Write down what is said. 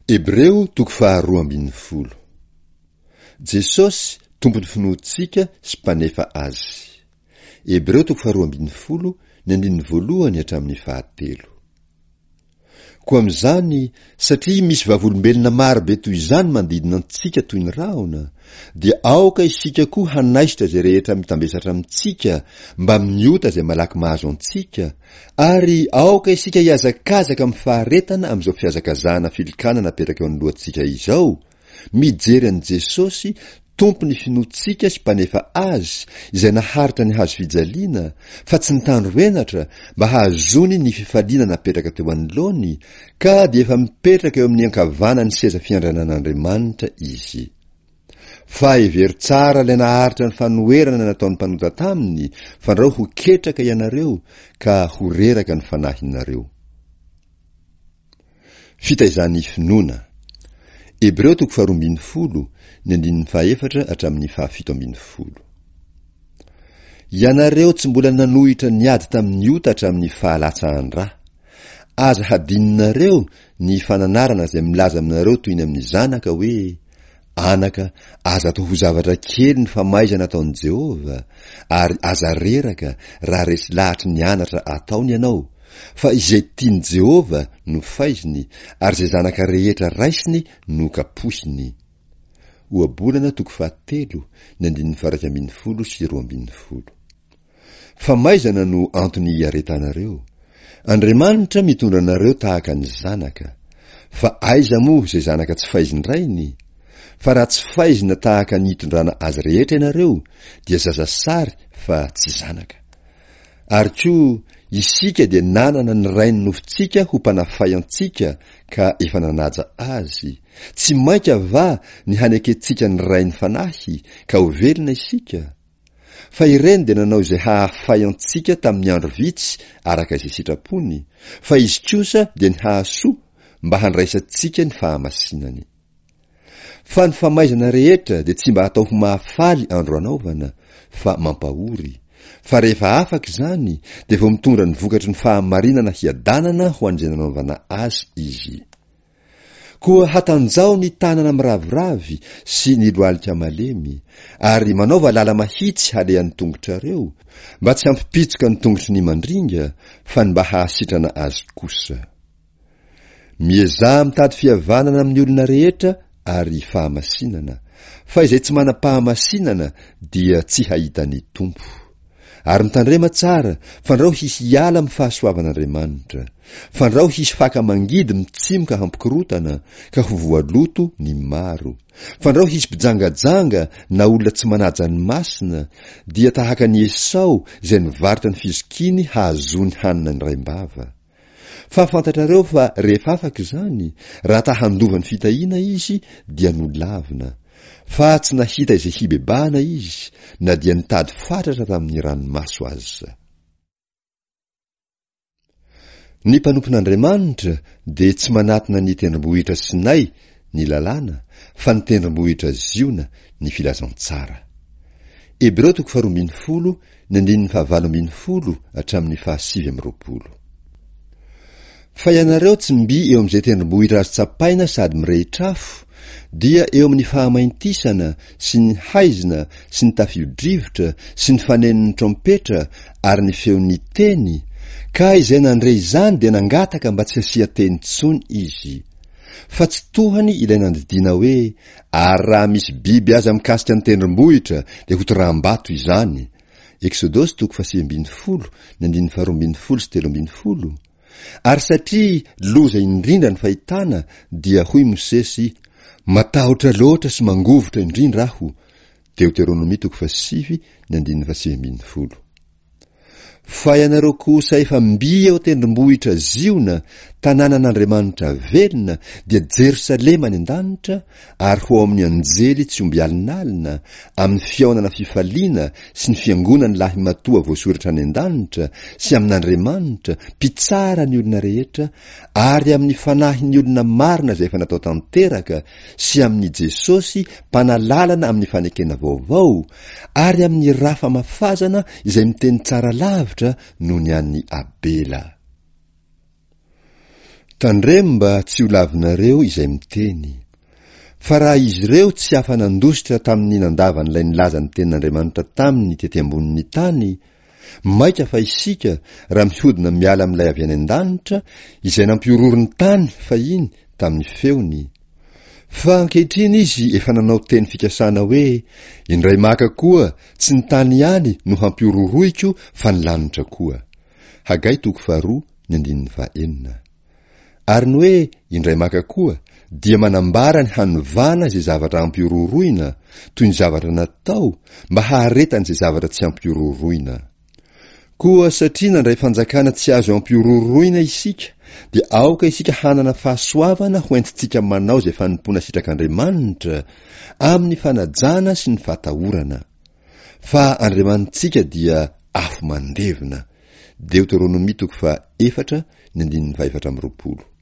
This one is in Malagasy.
Hebreo toko faharoa ambin'ny folo. Jesosy Tompon'ny finoantsika sy Mpanefa azy. Hebreo toko faharoa ambin'ny folo, ny andininy voalohany hatramin'ny fahatelo. Koa amin'izany, satria misy vavolombelona maro be toy izany manodidina antsika toy ny rahona, dia aoka isika koa hanaisotra izay rehetra mitambesatra amintsika mbamin'ny ota izay malaky mahazo antsika, ary aoka isika hihazakazaka amin'ny faharetana amin'izao fihazakazahana filokana napetraka eo anoloantsika izao, Mijery an'i Jesosy, Tompon'ny finoantsika sy Mpanefa azy, izay naharitra ny hazo fijaliana, fa tsy nitandro henatra, mba hahazoany ny fifaliana napetraka teo anoloany, ka dia efa mipetraka eo amin'ny ankavanan'ny seza fiandrianan'Andriamanitra Izy. Fa hevero tsara ilay naharitra ny fanoherana nataon'ny mpanota taminy, fandrao ho ketraka ianareo, ka ho reraka ny fanahinareo. Fitaizan'ny finoana. Hebreo toko faharoa ambin'ny folo, ny andininy fahaefatra hatramin'ny fahafito ambin'ny folo. Ianareo tsy mbola nanohitra niady tamin'ny ota hatramin'ny fahalatsahan-dra. Aza hadinonareo ny fananarana izay milaza aminareo toy ny amin'ny zanaka hoe, Anaka, aza atao ho zavatra kely ny famaizana ataon'i Jehovah, ary aza reraka raha resy lahatry ny anatra ataony ianao, fa izay tian'i Jehovah no faiziny, ary izay zanaka rehetra raisiny no kapohiny. Ohabolana toko fahatelo, ny andininy faha-11 sy 12. Famaizana no antony iaretanareo. Andriamanitra mitondra anareo tahaka ny zanaka. Fa aiza moa izay zanaka tsy faizin-drainy? Fa raha tsy faizina tahaka ny itondrana azy rehetra ianareo, dia zazasary fa tsy zanaka. Ary koa, isika dia nanana ny rain'ny nofontsika ho mpanafay antsika ka efa nanaja azy. Tsy mainka va ny hanekentsika ny Rain'ny fanahy, ka ho velona isika? Fa ireny dia nanao izay hahafay antsika tamin'ny andro vitsy araka izay sitrapony, fa izy kosa dia ny hahasoa mba handraisantsika ny fahamasinany. Fa ny famaizana rehetra dia tsy mba atao ho mahafaly andro anaovana, fa mampahory, fa rehefa afaka izany dia vao mitondra ny vokatry ny fahamarinana hiadanana ho an'izay nanaovana azy izy. Koa hatanjaho ny tanana miraviravy sy ny lohalika malemy, ary manaova lala-mahitsy halehan'ny tongotrareo, mba tsy hampipitsoka ny tongotry ny mandringa, fa ny mba hahasitrana azy kosa. Miezaha mitady fihavanana amin'ny olona rehetra ary fahamasinana, fa izay tsy manam-pahamasinana dia tsy hahita ny Tompo. Ary mitandrema tsara, fandrao hisy hiala amin'ny fahasoavan'Andriamanitra. Fandrao hisy faka mangidy mitsimoka hampikorotana, ka ho voaloto ny maro. Fandrao hisy mpijangajanga na olona tsy manaja ny masina, dia tahaka an'i Esao izay nivarotra ny fizokiany hahazoany hanina indraim-bava. Fa fantatrareo fa rehefa afaka izany, raha ta handova ny fitahiana izy, dia nolavina. Fa tsy nahita izay hibebahana izy, na dia nitady fatratra tamin'ny ranomaso aza. Ny mpanompon'Andriamanitra dia tsy manatona ny tendrombohitra Sinay, ny lalàna, fa ny tendrombohitra Ziona, ny filazantsara. Hebreo toko faharoa ambin'ny folo, ny andininy fahavalo ambin'ny folo hatramin'ny fahasivy amby roapolo. Fa ianareo tsy mby eo amin'izay tendrombohitra azo tsapaina sady mirehitra afo, dia eo amin'ny fahamaintisana sy ny haizina sy ny tafio-drivotra sy ny fanenon'ny trompetra ary ny feon'ny teny, ka izay nandre izany dia nangataka mba tsy hasian-teny intsony izy. Fa tsy tohany ilay nandidiana hoe, Ary raha misy biby aza mikasika ny tendrombohitra dia hotoraham-bato izany. Eksodosy toko fahasivy ambin'ny folo, ny andininy faharoa ambin'ny folo sy telo ambin'ny folo. Ary satria loza indrindra ny fahitana dia hoy Mosesy, Matahotra loatra sy mangovitra indrindra aho. Deoteronomia toko fahasivy, ny andininy fahasivy ambin'ny folo. Fa ianareo kosa efa mby eo an-tendrombohitra Ziona, tanànan'Andriamanitra velona, dia Jerosalema any an-danitra, ary ho ao amin'ny anjely tsy omby alinalina, amin'ny fihaonana fifaliana sy ny fiangonan'ny lahimatoa voasoratra any an-danitra, sy amin'Andriamanitra, Mpitsara ny olona rehetra, ary amin'ny fanahin'ny olona marina izay efa natao tanteraka, sy amin'i Jesosy mpanalalana amin'ny fanekena vaovao, ary amin'ny rà famafazana izay miteny tsara lavitra noho ny an'i Abela. Tandremo mba tsy ho lavinareo izay miteny. Fa raha izy ireo tsy afa-nandositra tamin'ny nandavan'ilay nilaza ny tenin'Andriamanitra taminy tety ambonin'ny tany, mainka fa isika raha mihodina miala amin'ilay avy any an-danitra, izay nampihorohoro ny tany fahiny tamin'ny feony. Fa ankehitriny izy efa nanao teny fikasana hoe, Indray maka koa, tsy ny tany ihany no hampihorohoroiko fa ny lanitra koa. Hagay toko faharoa ny andininy fahaenina. Ary ny hoe indray maka koa dia manambara ny hanovana izay zavatra ampihorohoroina, toy ny zavatra natao mba haharetan'izay zavatra tsy ampihorohoroina. Koa satria nandray fanjakana tsy azo ampihorohoroina isika, dia aoka isika hanana fahasoavana hoentintsika manao izay fanompoana sitrak'Andriamanitra, amin'ny fanajana sy ny fahatahorana. Fa Andriamanitsika dia afo mandevona. Deoteronomia toko faha efatra ny andininy faha 24.